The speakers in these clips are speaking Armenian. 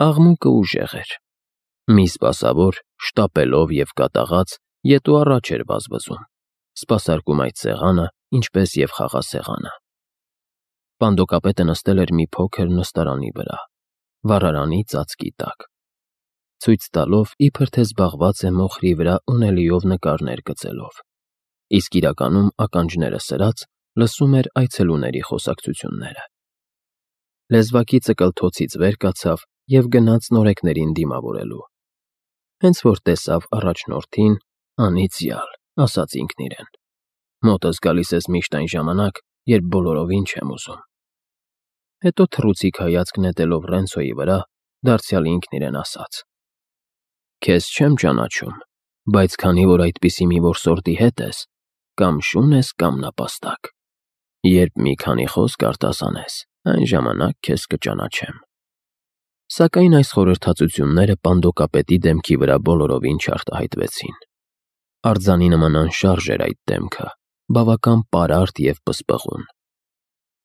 Աղմուկը ուժեղ էր։ Մի սպասավոր, շտապելով և կատաղած, ետ ու առաջ էր վազվզում, սպասարկում այդ սեղանը, ինչպես և խաղասեղանը։ Պանդոկապետը նստել էր մի փոքր նստարանի վրա, վառարանի ծածկի տակ, ցույց տալով, իբր թե զբաղված է մոխրի վրա ունելիով նկարներ գծելով, իսկ իրականում ականջները սրած լսում էր այցելուների խոսակցությունները։ Լեզվակի ծկլթոցից վեր կացավ և գնաց նորեկներին դիմավորելու։ Հենց որ տեսավ առաջնորդին, անիծյալ, ասաց ինքն իրեն. մոտս գալիս ես միշտ այն ժամանակ, երբ բոլորովին չեմ ուզում։ Հետո թռուցիկ հայացք նետելով Ռենցոյի վրա, դարձյալ ինքն իրեն ասաց. Քեզ չեմ ճանաչում, բայց քանի որ այդպիսի մի որսորդի հետ ես, կամ շուն ես, կամ նապաստակ։ Երբ մի քանի խոսք արտասանես, այն ժամանակ քեզ կճանաչեմ։ Սակայն այս խորհրդածությունները պանդոկապետի դեմքի վրա բոլորովին չարտահայտվեցին։ Արձանի նման անշարժ էր այդ դեմքը, բավական պարարտ և պսպղուն։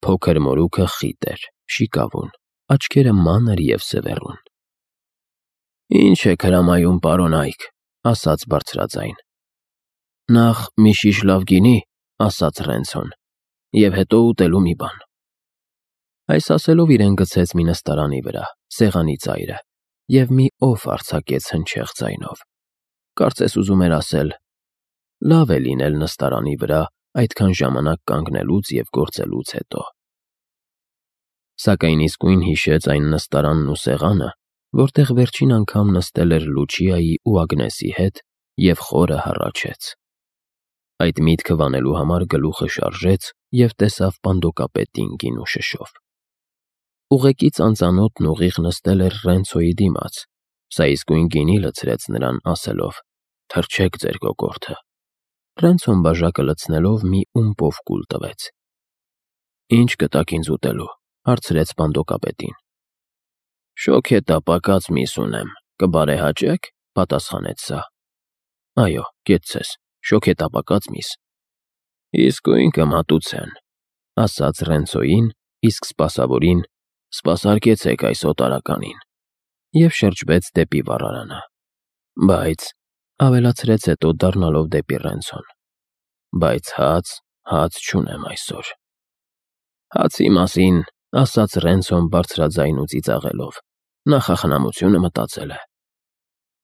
Փոքր մորուքը խիտ էր, շիկավուն, աչքերը մանր և սևեռուն։ Ինչ եք հրամայում, պարոն Այք, ասաց բարձրաձայն։ Նախ մի շիշ լավ գինի, ասաց Ռենցոն, և հետո ուտելու մի բան։ Այս ասելով իրեն գցեց մի նստարանի վրա, սեղանի ծայրը, և մի օֆ արձակեց հնչեղ ձայնով։ Կարծես ուզում էր ասել. լավ է լինել նստարանի վրա այդքան ժամանակ կանգնելուց և գործելուց հետո։ Սակայն իսկույն հիշեց այն նստարանն ու սեղանը, որտեղ վերջին անգամ նստել էր Լուչիայի ու Ագնեսի հետ և խորը հառաչեց։ Այդ միտքը վանելու համար գլուխը շարժեց և տեսավ պանդոկապետին գինու շշով։ Ուղեկից անծանոթն ուղիղ նստել էր Ռենցոյի դիմաց, սա իսկույն գինի լցրեց նրան, ասելով. թրջեք ձեր կոկորդը։ Ռենցոն բաժակը լցնելով մի ումպով կուլ տվեց։ Ինչ կտաք ինձ ուտելու, հարցրեց պանդոկապետին։ Շոգեթա պակած միս ունեմ, կբարեհաճե՞ք, պատասխանեց սա։ Այո, կեցցես, շոգեթա պակած միս։ Իսկույն կմատուցեն, ասաց Ռենցոյին, իսկ սպասավորին. սպասարկեցեք այս օտարականին, և շրջվեց դեպի վառարանը։ Բայց, ավելացրեց հետո դառնալով դեպի Ռենցոն, բայց հաց չունեմ այսօր։ Հացի մասին, ասաց Ռենցոն բարձրաձայն ու ծիծաղելով, նախախնամությունը մտածել է։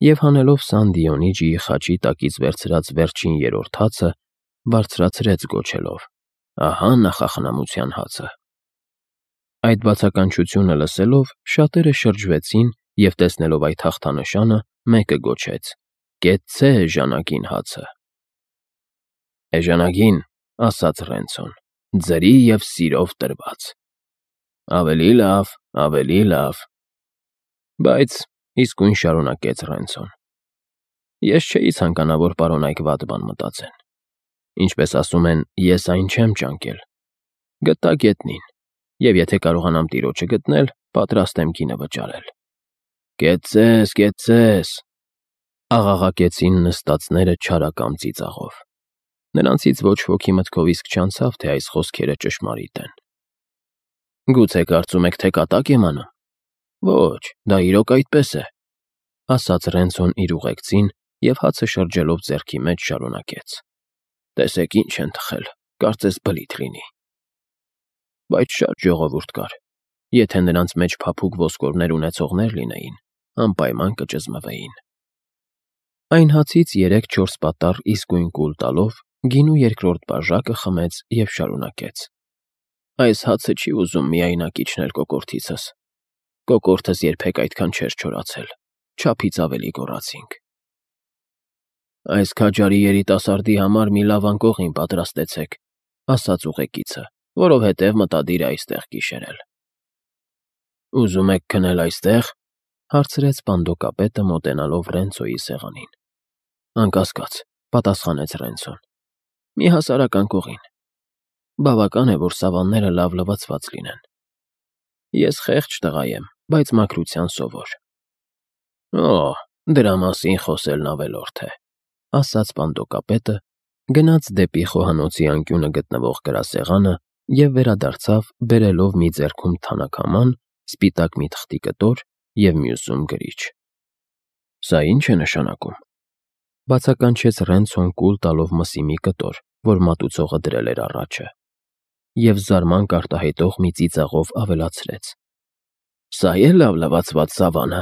Եվ հանելով Սան Դիոնիջիի խաչի տակից վերցրած վերջին երրորդ հացը, բարձրացրեց գոչելով. ահա նախախնամության հացը։ Այդ բացականչությունը լսելով, շատերը շրջվեցին և տեսնելով այդ հաղթանշանը, մեկը գոչեց. կեցցե էժանագին հացը։ Էժանագին, ասաց Ռենցոն, ձրի և սիրով տրված։ Ավելի լավ, ավելի լավ։ Բայց, իսկույն շարունակեց Ռենցոն, ես չէի ցանկանա, որ պարոն Այք վատ բան մտածեն։ Ինչպես ասում են, ես այն չեմ ճանկել։ Գտա գետնին, և եթե կարողանամ տիրոջը գտնել, պատրաստ եմ գինը վճարել։ Կեցցես, կեցցես, աղաղակեցին նստածները չարակամ ծիծաղով։ Նրանցից ոչ ոքի մտքով իսկ չանցավ, թե այս խոսքերը ճշմարիտ են։ Գուցե կարծում եք, թե կատակ եմ անում։ Ոչ, դա իրոք այդպես է, ասաց Ռենցոն իր ուղեկցին և հացը շրջելով ձեռքի մեջ շարունակեց։ Տեսեք ինչ են թխել, կարծես բլիթ լինի։ Բայց շատ ժողովուրդ կար։ Եթե նրանց մեջ փափուկ ոսկորներ ունեցողներ լինեին, անպայման կճզմվեին։ Այն հացից 3-4 պատառ իսկույն կուլ տալով, գինու երկրորդ բաժակը խմեց և շարունակեց. Այս հացը չի ուզում միայնակ իջնել կոկորդիցս։ Կոկորդս երբեք այդքան չէր չորացել, չափից ավելի գոռացինք։ Այս քաջարի երիտասարդի համար մի լավ անկողին պատրաստեցեք, ասաց ուղեկիցը, որովհետև մտադիր է այստեղ գիշերել։ Ուզում եք քնել այստեղ, հարցրեց պանդոկապետը մոտենալով Ռենցոյի սեղանին։ Անկասկած, պատասխանեց Ռենցոն։ Մի հասարակ անկողին։ Բավական է, որ սավանները լավ լվացված լինեն։ Ես խեղճ տղա եմ, բայց մաքրության սովոր։ Դրա մասին խոսելն ավելորդ է, ասաց պանդոկապետը, գնաց դեպի խոհանոցի անկյունը գտնվող գրասեղանը և վերադարձավ, բերելով մի ձեռքում թանաքաման, սպիտակ մի թղթի կտոր և մյուսում գրիչ։ Սա ի՞նչ է նշանակում, բացականչեց Ռենցոն կուլ տալով մսի մի կտոր, որ մատուցողը դրել էր առաջը, և զարմանք արտահայտող մի ծիծաղով ավելացրեց. Սա է լավ լվացված սավանը։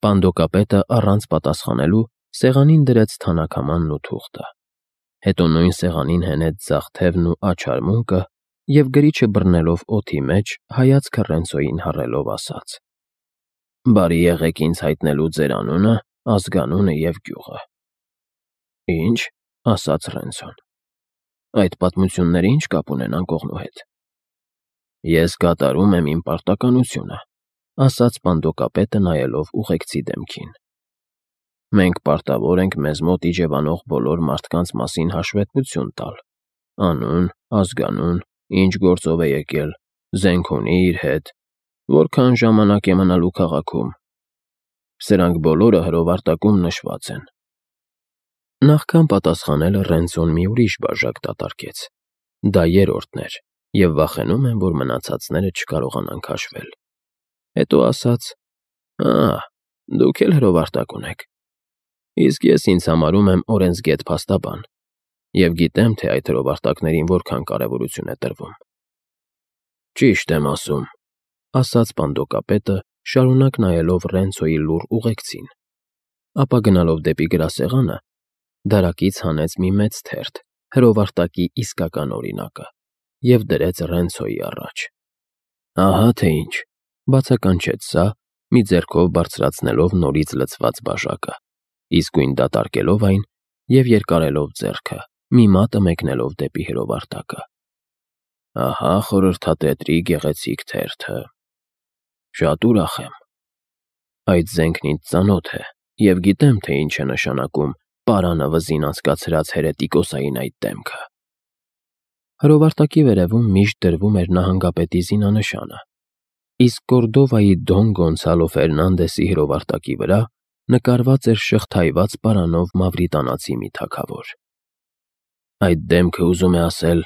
Պանդոկապետը առանց պատասխանելու սեղանին դրեց թանաքամանն ու թուղթը, հետո նույն սեղանին հենեց ձախ թևն ու աչարմունկը և գրիչը բռնելով օդի մեջ հայացքը Ռենցոյին հառելով ասաց. «Բարի եղեք ինձ հայտնելու ձեր անունը, ազգանունը և գյուղը»։ «Ի՞նչ», ասաց Ռենցոն, «այդ պատմությունները ի՞նչ կապ ունեն անկողնու հետ»։ «Ես կատարում եմ իմ պարտականությունը», ասաց պանդոկապետը նայելով ուղեկցի դեմքին։ «Մենք պարտավոր ենք մեզ մոտ իջևանող բոլոր մարդկանց մասին հաշվետվություն տալ. անուն, ազգանուն, ինչ գործով է եկել, զենք ունի՞ իր հետ, որքան ժամանակ է մնալու քաղաքում։ Սրանք բոլորը հրովարտակում նշված են»։ Նախքան պատասխանելը Ռենցոն մի ուրիշ բաժակ դատարկեց։ Դա երրորդն էր, և վախենում եմ, որ մնացածները չկարողանան քաշվել։ Հետո ասաց. «Դուք էլ հրովարտակ ունեք։ Իսկ ես ինձ համարում եմ օրենսգետ փաստաբան և գիտեմ, թե այդ հրովարտակներին որքան կարևորություն է տրվում»։ «Ճիշտ եմ ասում», ասաց պանդոկապետը, շարունակ նայելով Ռենցոյի լուռ ուղեկցին, ապա գնալով դեպի գրասեղանը, դարակից հանեց մի մեծ թերթ, հրովարտակի իսկական օրինակը, և դրեց Ռենցոյի առաջ։ «Ահա թե ինչ», բացականչեց սա, մի ձեռքով բարձրացնելով նորից լցված բաժակը, իսկույն դատարկելով այն և երկարելով ձեռքը, մի մատը մեկնելով դեպի հրովարտակը։ «Ահա խորհրդատետրի գեղեցիկ թերթը։ Շատ ուրախ եմ։ Այդ զենքն ինձ ծանոթ է, և գիտեմ, թե ինչ է նշանակում պարանը վզին անցկացրած հերետիկոսային այդ դեմքը»։ Հրովարտակի վերևում միշտ դրվում էր նահանգապետի զինանշանը, իսկ Կորդովայի Դոն Գոնսալո Ֆերնանդեսի հրովարտակի վրա նկարված էր շղթայված պարանով մավրիտանացի մի թագավոր։ «Այդ դեմքը ուզում է ասել.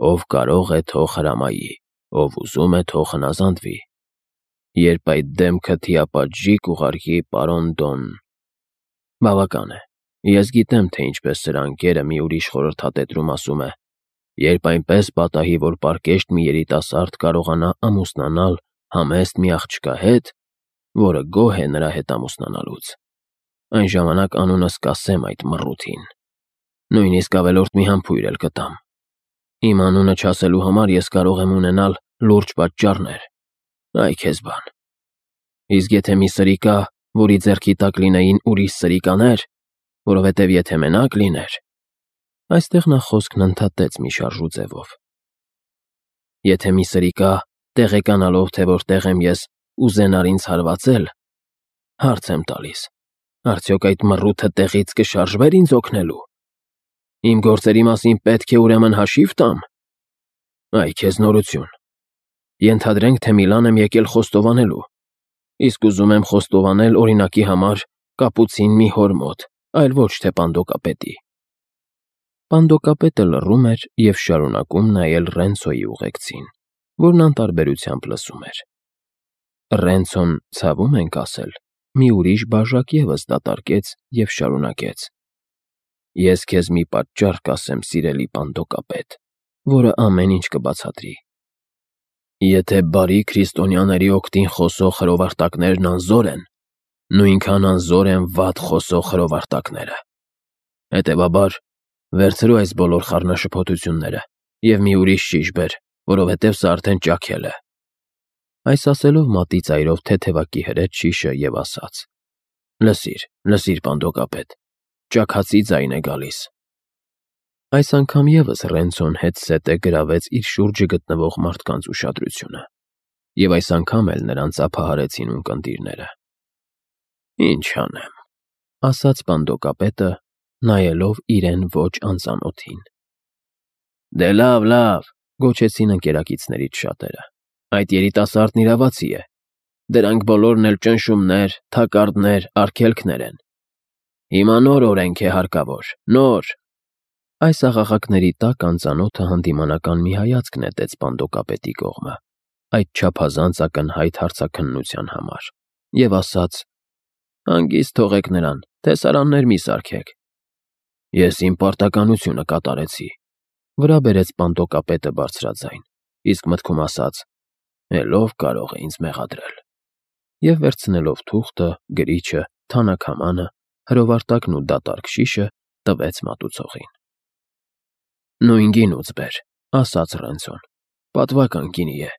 ով կարող է, թող հրամայի, ով ուզում է, թող հնազանդվի։ Երբ այդ դեմքը թիապատժի կուղարկի պարոն Դոն»։ Բավական է։ Ես գիտեմ, թե ինչպես սրա ընկերը մի ուրիշ խորհրդատետրում ասում է. երբ այնպես պատահի, որ պարկեշտ մի երիտասարդ կարողանա ամուսնանալ համեստ մի աղջկա հետ, որը գոհ է նրա հետ ամուսնանալուց, այն ժամանակ անունս կասեմ այդ մռութին։ Նույնիսկ ավելորդ մի համբույր էլ կտամ։ Իմ անունը չասելու համար ես կարող եմ ունենալ լուրջ պատճառներ։ Այ քեզ բան։ Իսկ եթե մի սրիկա, որի ձեռքի տակ լինեին ուրիշ սրիկաներ, որովհետև եթե մենակ լիներ… Այստեղ նա խոսքն ընդհատեց մի շարժու ձևով։ Եթե մի սրիկա, տեղեկանալով, թե որտեղ եմ ես, ուզենար ինձ հարվածել, հարց եմ տալիս. արդյոք այդ մռութը տեղից կշարժվեր ինձ օգնելու։ Իմ գործերի մասին պետք է ուրեմն հաշիվ տամ։ Այ քեզ նորություն։ Ենթադրենք, թե Միլան եմ եկել խոստովանելու, իսկ ուզում եմ խոստովանել օրինակի համար կապուցին մի հոր մոտ, այլ ոչ թե պանդոկապետի։ Պանդոկապետը լռում էր և շարունակում նայել Ռենցոյի ուղեկցին, որն անտարբերությամբ լսում էր։ Ռենցոն, ցավում ենք ասել, մի ուրիշ բաժակ ևս դատարկեց և շարունակեց. «Ես քեզ մի պատճառ կասեմ, սիրելի պանդոկապետ, որը ամեն ինչ կբացատրի։ Եթե բարի քրիստոնյաների օգտին խոսող հրովարտակներն անզոր են, նույնքան անզոր են վատ խոսող հրովարտակները։ Հետևաբար, վերցրու այս բոլոր խառնաշփոթությունները և մի ուրիշ շիշ բեր, որովհետև սա արդեն ճաքել է»։ Այս ասելով մատի ծայրով թեթևակի հրեց շիշը և ասաց. «Լսիր, պանդոկապետ, ճաքածի ձայն է գալիս»։ Այս անգամ ևս Ռենցոն հետզհետե գրավեց իր շուրջը գտնվող մարդկանց ուշադրությունը, և այս անգամ էլ նրանց ափահարեցին ունկնդիրները։ «Ինչ անեմ», ասաց պանդոկապետը, նայելով իրեն ոչ անծանոթին։ «Դե լավ, գոչեցին ընկերակիցներից շատերը։ Այդ երիտասարդն իրավացի է։ Դրանք բոլորն էլ ճնշումներ, թակարդներ, արգելքներ են։ Հիմա նոր օրենք է հարկավոր, նոր»։ Այս աղաղակների տակ անծանոթը հանդիմանական մի հայացք նետեց պանդոկապետի կողմը, այդ չափազանց ակնհայտ հարցաքննության համար։ և ասաց. «Հանգիստ թողեք նրան, տեսարաններ մի սարքեք»։ «Ես իմ պարտականությունը կատարեցի», վրա բերեց Պանդոկապետը բարձրաձայն, իսկ մտքում ասաց. «Էլ ով կարող է ինձ մեղադրել»։ Եվ վերցնելով թուղթը, գրիչը, թանաքամանը, հրովարտակն ու դատարկ շիշը տվեց մատուցողին։ «Նույն գինուց բեր», ասաց Ռենցոն, «պատվական գինի է։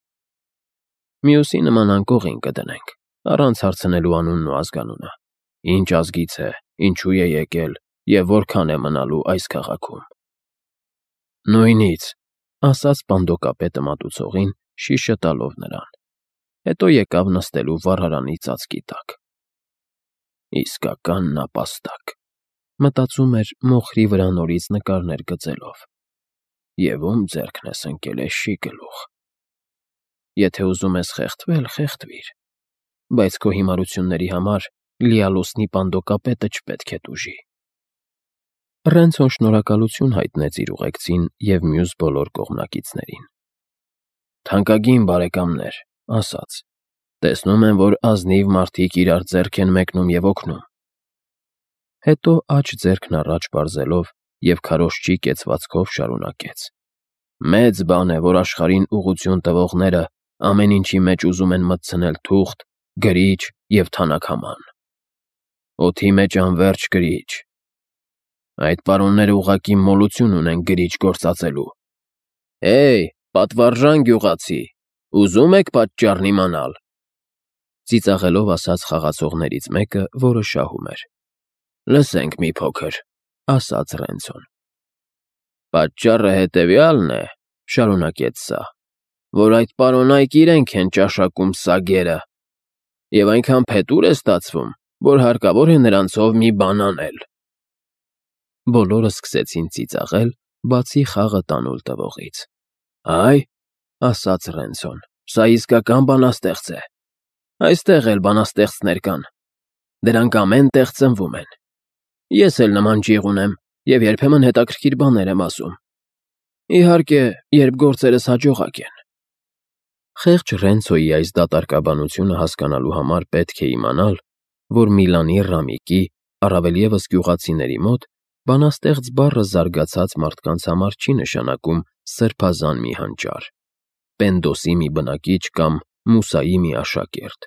Մյուսի նման անկողին կդնենք, առանց հարցնելու անունն ու ազգանունը, ինչ ազգից է, ինչու է եկել և որքան է մնալու այս քաղաքում»։ «Նույնից», ասաց Պանդոկապետը մատուցողին, շիշը տալով նրան, հետո եկավ նստելու վառարանի ծածկի տակ։ «Իսկական նապաստակ», մտածում էր մոխրի վրա նորից նկարներ գծելով, և ում ձեռքն ես ընկել էշի գլուխ։ Եթե ուզում ես խեղդվել, խեղդվիր, բայց քո հիմարությունների համար լիալուսնի Պանդոկապետը չպետք է տուժի։ Ռենցոն շնորհակալություն հայտնեց իր ուղեկցին և մյուս բոլոր կողմնակիցներին։ «Թանկագին բարեկամներ», ասաց, «տեսնում եմ, որ ազնիվ մարդիկ իրար ձեռք են մեկնում և օգնում»։ Հետո աջ ձեռքն առաջ պարզելով և քարոզչի կեցվածքով շարունակեց. «Մեծ բան է, որ աշխարհին ուղղություն տվողները ամեն ինչի մեջ ուզում են մտցնել թուղթ, գրիչ և թանաքաման։ Օդի մեջ անվերջ գրիչ։ Այդ պարոնները ուղղակի մոլություն ունեն գրիչ գործածելու։ Հեյ, պատվարժան գյուղացի, ուզում եք պատճառն իմանալ»։ Ծիծաղելով ասաց խաղացողներից մեկը, որը շահում էր։ «Լսենք մի փոքր», ասաց Ռենցոն։ «Պատճառը հետևյալն է», շարունակեց սա, «որ այդ պարոնայք իրենք են ճաշակում սագերը, և այնքան փետուր է ստացվում, որ հարկավոր է նրանցով մի բան անել»։ Բոլորը սկսեցին ծիծաղել, բացի խաղը տանուլ տվողից։ «Այ», ասաց Ռենցոն, «սա իսկական բանաստեղծ է։ Այստեղ էլ բանաստեղծներ կան։ Դրանք ամեն տեղ ծնվում են։ Ես էլ նման ջիղ ունեմ և երբեմն հետաքրքիր բաներ եմ ասում։ Իհարկե, երբ գործերս հաջողակ են»։ Խեղճ Ռենցոյի այս դատարկաբանությունը հասկանալու համար պետք է իմանալ, որ Միլանի Ռամիկի, առավել ևս գյուղացիների մոտ, բանաստեղծ բառը զարգացած մարդկանց համար չի նշանակում սրբազան մի հանճար, Պենդոսի մի բնակիչ կամ Մուսայի մի աշակերտ,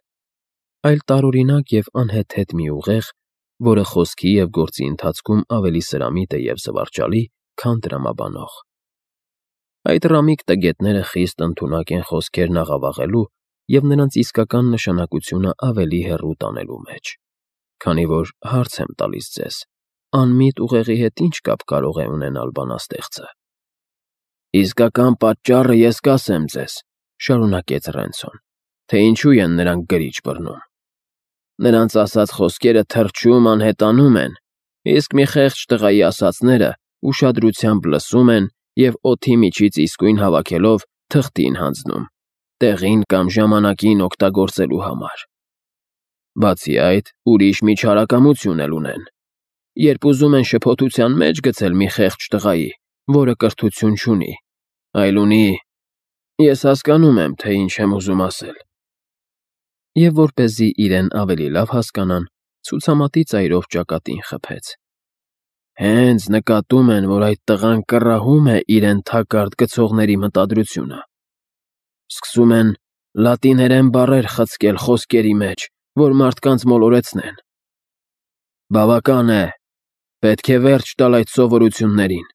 այլ տարօրինակ և անհեթեթ մի ուղեղ, որը խոսքի և գործի ընթացքում ավելի սրամիտ է և զվարճալի, քան տրամաբանող։ Այդ ռամիկ տգետները խիստ ընդունակ են խոսքերն աղավաղելու և նրանց իսկական նշանակությունը ավելի հեռու տանելու մեջ, քանի որ հարց եմ տալիս ձեզ. անմիտ ուղեղի հետ ինչ կապ կարող է ունենալ բանաստեղծը։ «Իսկական պատճառը ես կասեմ ձեզ», շարունակեց Ռենցոն, «թե ինչու են նրանք գրիչ բռնում։ Նրանց ասած խոսքերը թրջում, անհետանում են, իսկ մի խեղճ տղայի ասածները ուշադրությամբ լսում են և օդի միջից իսկույն հավաքելով թղթին հանձնում, տեղին կամ ժամանակին օգտագործելու համար։ Բացի այդ, ուրիշ միջհարակամություն էլ ունեն։ Երբ ուզում են շփոթության մեջ գցել մի խեղճ տղայի, որը կրթություն չունի, այլ ունի… Ես հասկանում եմ, թե ինչ եմ ուզում ասել»։ Եվ որպեսզի իրեն ավելի լավ հասկանան, ցուցամատի ծայրով ճակատին խփեց։ «Հենց նկատում են, որ այդ տղան կռահում է իրեն թակարդ գցողների մտադրությունը։ Սկսում են լատիներեն բառեր խցկել խոսքերի մեջ, որ մարդկանց մոլորեցնեն։ Բավական է, պետք է վերջ տալ այդ սովորություններին։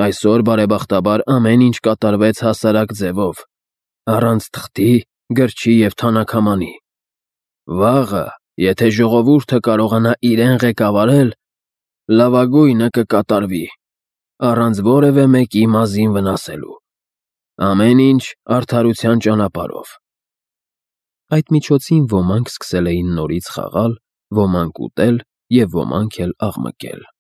Այսօր, բարեբախտաբար, ամեն ինչ կատարվեց հասարակ ձևով, առանց թղթի, գրչի և թանաքամանի։ Վաղը, եթե ժողովուրդը կարողանա իրեն ղեկավարել, լավագույնը կկատարվի, առանց որևէ մեկի մազին վնասելու։ Ամեն ինչ արդարության ճանապարհով»։ Այդ միջոցին ոմանք սկսել էին նորից խաղալ, ոմանք ուտել և ոմանք էլ աղմկել։